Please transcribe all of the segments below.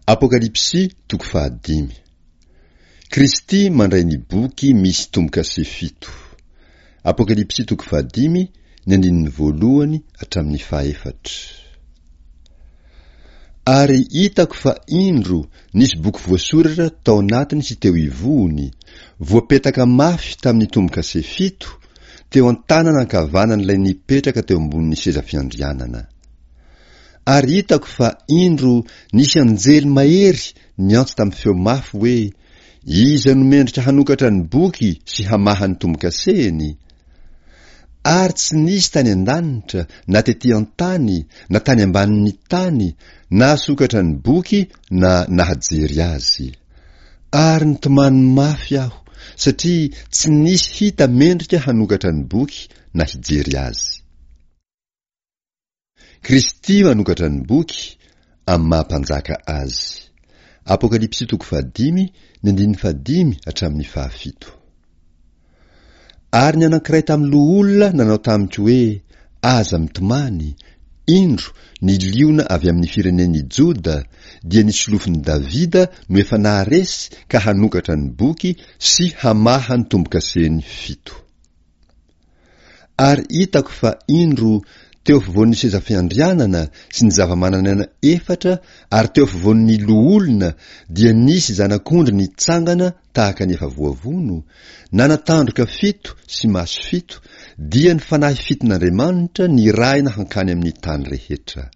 Apokalypsy toko fahadimy. Kristy mandray ny boky misy tombo-kase fito. Apokalypsy toko fahadimy, ny andininy voalohany hatramin'ny fahefatra. Ary hitako fa indro nisy boky voasoratra tao anatiny sy teo ivohony, voapetaka mafy tamin'ny tombo-kase fito, teo an-tanana ankavanan'ilay nipetraka teo ambonin'ny seza fiandrianana. Ary hitako fa indro nisy anjely mahery niantso tamin'ny feo mafy hoe, Iza no mendrika hanokatra ny boky sy hamaha ny tombo-kasehiny? Ary tsy nisy tany an-danitra, na tetỳ an-tany, na tany ambanin'ny tany, nahasokatra ny boky na nahajery azy. Ary nitomany mafy aho, satria tsy nisy hita mendrika hanokatra ny boky na hijery azy. Kristy manokatra ny boky amin'ny maha mpanjaka azy. Apokalypsy toko fahadimy, ny andininy fahadimy hatramin'ny fahafito. Ary ny anankiray tamin'ny loholona nanao tamiko hoe, Aza mitomany, indro, ny liona avy amin'ny firenen'i Joda, dia ny solofon'i Davida no efa naharesy ka hanokatra ny boky sy hamaha ny tombo-kaseny fito. Ary hitako fa, indro, teo afovoan'ny seza fiandrianana sy ny zava-manan'aina efatra ary teo afovoan'ny loholona dia nisy zanak'ondry nitsangana tahaka ny efa voavono, nanan-tandroka fito sy maso fito, dia ny fanahy fiton'Andriamanitra nirahina hankany amin'ny tany rehetra.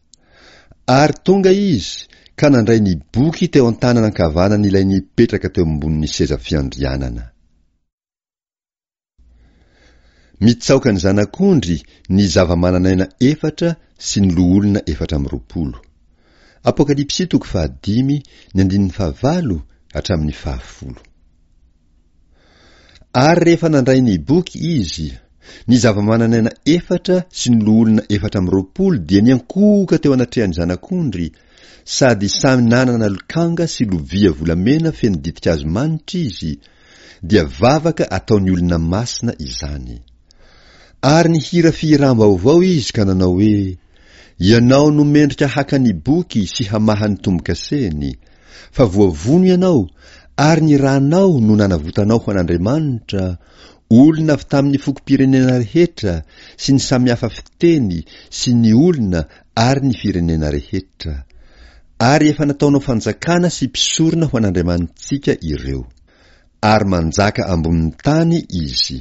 Ary tonga izy ka nandray ny boky teo an-tanana ankavanan'ilay nipetraka teo ambonin'ny seza fiandrianana. Mitsaoka ny Zanak'ondry ny zava-manan'aina efatra sy ny loholona 24. Apokalypsy toko fahadimy ny andininy fahavalo hatramin'ny fahafolo. Ary rehefa nandray ny boky izy, ny zava-manan'aina efatra sy ny loholona 24 dia niankohoka teo anatrehan'ny Zanak'ondry, sady samy nanana lokanga sy lovia volamena feno ditin-kazo manitra izy, dia vavaka ataon'ny olona masina izany. Ary nihira fihiram-baovao izy ka nanao hoe, Ianao no mendrika haka ny boky sy hamaha ny tombo-kaseny, fa voavono ianao, ary ny ranao no nanavotanao ho an'Andriamanitra, olona avy tamin'ny fokom-pirenena rehetra sy ny samihafa fiteny sy ny olona ary ny firenena rehetra. Ary efa nataonao fanjakana sy mpisorona ho an'Andriamanitsika ireo. Ary manjaka ambonin'ny tany izy.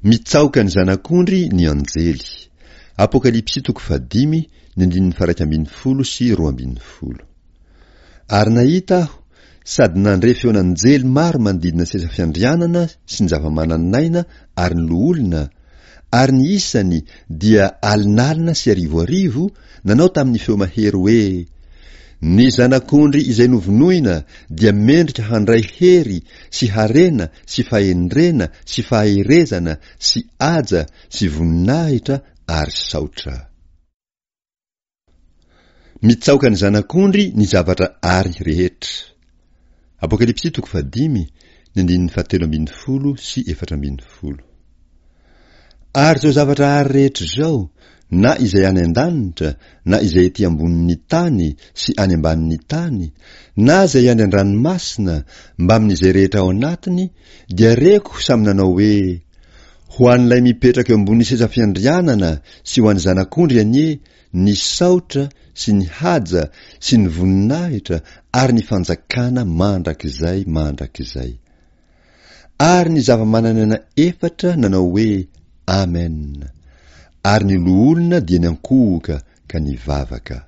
Mitsaoka ny Zanak'ondry ny anjely. Apokalypsy toko fahadimy, ny andininy faharaika ambin'ny folo sy 12. Ary nahita aho, sady nandre feon'anjely maro manodidina ny seza fiandrianana sy ny zava-manan'aina ary ny loholona, ary ny isany dia alinalina sy arivoarivo, nanao tamin'ny feo mahery hoe, Ny Zanak'ondry izay novonoina dia mendrika handray hery sy harena sy fahendrena sy faherezana sy haja sy voninahitra ary saotra. Mitsaoka ny Zanak'ondry ny zavatra àry rehetra. Apokalypsy toko fahadimy, ny andininy fahatelo ambin'ny folo sy 14. Ary izao zavatra àry rehetra izao, na izay any an-danitra, na izay ety ambonin'ny tany sy any ambanin'ny tany, na izay any an-dranomasina, mbamin'izay rehetra ao anatiny, dia reko samy nanao hoe, Ho an'ilay mipetraka eo ambonin'ny seza fiandrianana sy ho an'ny Zanak'ondry anie ny saotra sy ny haja sy ny voninahitra ary ny fanjakana mandrakizay mandrakizay. Ary ny zava-manan'aina efatra nanao hoe, Amen. Ary ny loholona dia niankohoka ka nivavaka.